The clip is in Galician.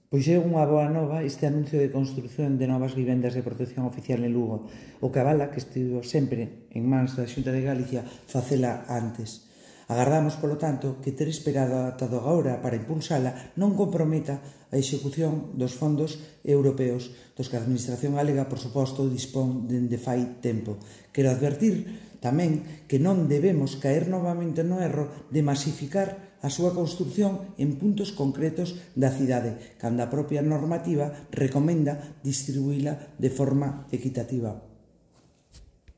Pois é unha boa nova este anuncio de construción de novas vivendas de protección oficial en Lugo, o que avala que estivo sempre en mans da Xunta de Galicia facela antes. Agardamos, polo tanto, que ter esperado ata agora para impulsala non comprometa a execución dos fondos europeos dos que a Administración galega, por suposto, dispón dende fai tempo. Quero advertir tamén que non debemos caer novamente no erro de masificar a súa construción en puntos concretos da cidade, cando a propia normativa recomenda distribuíla de forma equitativa.